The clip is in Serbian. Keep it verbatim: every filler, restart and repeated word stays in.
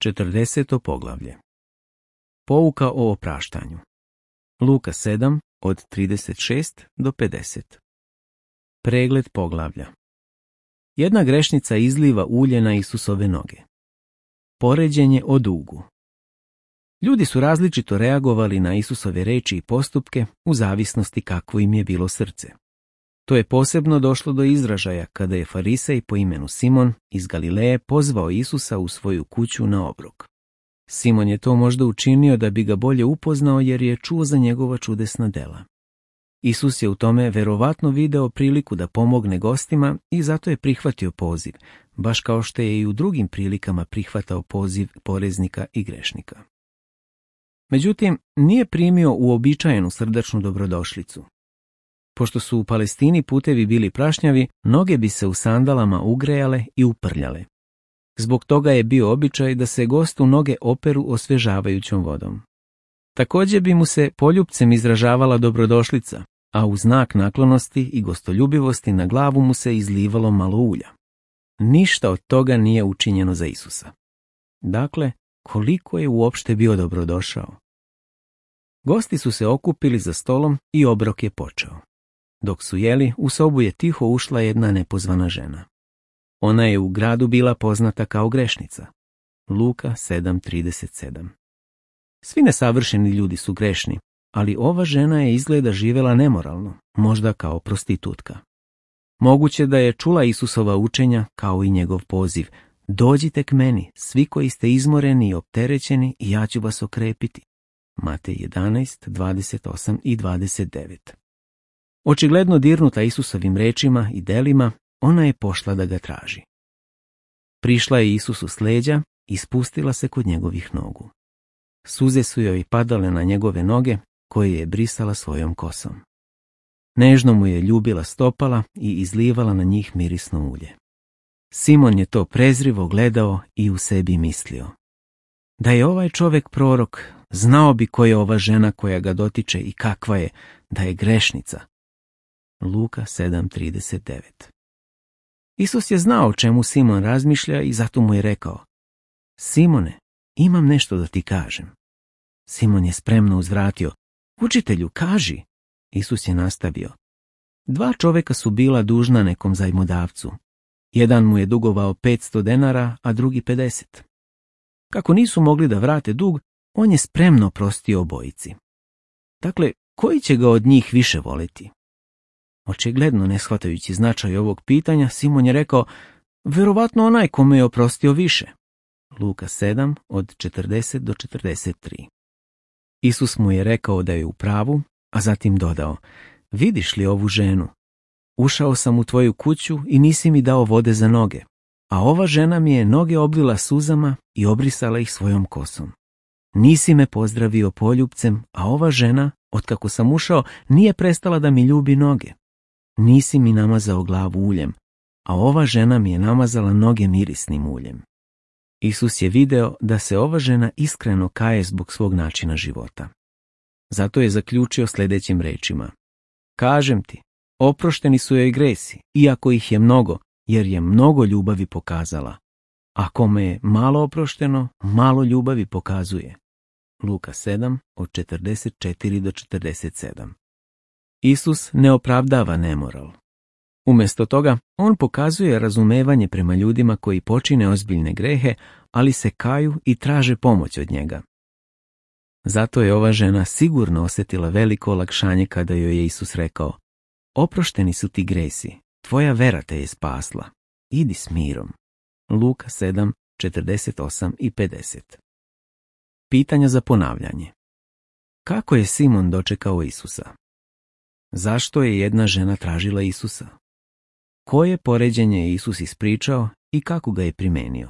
četrdeseto poglavlje. Pouka o opraštanju. Luka sedam od trideset šest do pedeset. Pregled poglavlja. Jedna grešnica izliva ulje na Isusove noge. Poređenje o dugu. Ljudi su različito reagovali na Isusove reči i postupke u zavisnosti kakvo im je bilo srce. To je posebno došlo do izražaja kada je farisej po imenu Simon iz Galileje pozvao Isusa u svoju kuću na obrok. Simon je to možda učinio da bi ga bolje upoznao jer je čuo za njegova čudesna dela. Isus je u tome verovatno video priliku da pomogne gostima i zato je prihvatio poziv, baš kao što je i u drugim prilikama prihvatao poziv poreznika i grešnika. Međutim, nije primio uobičajenu srdačnu dobrodošlicu. Pošto su u Palestini putevi bili prašnjavi, noge bi se u sandalama ugrejale i uprljale. Zbog toga je bio običaj da se gostu noge operu osvežavajućom vodom. Također bi mu se poljupcem izražavala dobrodošlica, a u znak naklonosti i gostoljubivosti na glavu mu se izlivalo malo ulja. Ništa od toga nije učinjeno za Isusa. Dakle, koliko je uopšte bio dobrodošao? Gosti su se okupili za stolom i obrok je počeo. Dok su jeli, u sobu je tiho ušla jedna nepozvana žena. Ona je u gradu bila poznata kao grešnica. Luka sedam trideset sedam. Svi nesavršeni ljudi su grešni, ali ova žena je izgleda živjela nemoralno, možda kao prostitutka. Moguće da je čula Isusova učenja kao i njegov poziv: dođite k meni, svi koji ste izmoreni i opterećeni, i ja ću vas okrepiti. Matej jedanaest, dvadeset osam i dvadeset devet. Očigledno dirnuta Isusovim rečima i delima, ona je pošla da ga traži. Prišla je Isusu s leđa i spustila se kod njegovih nogu. Suze su joj padale na njegove noge, koje je brisala svojom kosom. Nežno mu je ljubila stopala i izlivala na njih mirisno ulje. Simon je to prezrivo gledao i u sebi mislio: da je ovaj čovjek prorok, znao bi ko je ova žena koja ga dotiče i kakva je, da je grešnica. Luka sedam trideset devet. Isus je znao o čemu Simon razmišlja i zato mu je rekao: Simone, imam nešto da ti kažem. Simon je spremno uzvratio: učitelju, kaži. Isus je nastavio: dva čovjeka su bila dužna nekom zajmodavcu. Jedan mu je dugovao petsto denara, a drugi pedeset. Kako nisu mogli da vrate dug, on je spremno prostio obojici. Dakle, koji će ga od njih više voliti? Očigledno ne shvatajući značaj ovog pitanja, Simon je rekao: verovatno onaj kome je oprostio više. Luka sedam od četrdeset do četrdeset tri. Isus mu je rekao da je u pravu, a zatim dodao: vidiš li ovu ženu? Ušao sam u tvoju kuću i nisi mi dao vode za noge, a ova žena mi je noge oblila suzama i obrisala ih svojom kosom. Nisi me pozdravio poljupcem, a ova žena, otkako sam ušao, nije prestala da mi ljubi noge. Nisi mi namazao glavu uljem, a ova žena mi je namazala noge mirisnim uljem. Isus je video da se ova žena iskreno kaje zbog svog načina života. Zato je zaključio sljedećim rečima: kažem ti, oprošteni su joj gresi, iako ih je mnogo, jer je mnogo ljubavi pokazala. A kome je malo oprošteno, malo ljubavi pokazuje. Luka sedam od četrdeset četiri do četrdeset sedam. Isus ne opravdava nemoral. Umjesto toga, on pokazuje razumevanje prema ljudima koji počine ozbiljne grehe, ali se kaju i traže pomoć od njega. Zato je ova žena sigurno osjetila veliko olakšanje kada joj je Isus rekao: oprošteni su ti gresi, tvoja vera te je spasla, idi s mirom. Luka sedam, četrdeset osam i pedeset. Pitanja za ponavljanje. Kako je Simon dočekao Isusa? Zašto je jedna žena tražila Isusa? Koje poređenje je Isus ispričao i kako ga je primenio?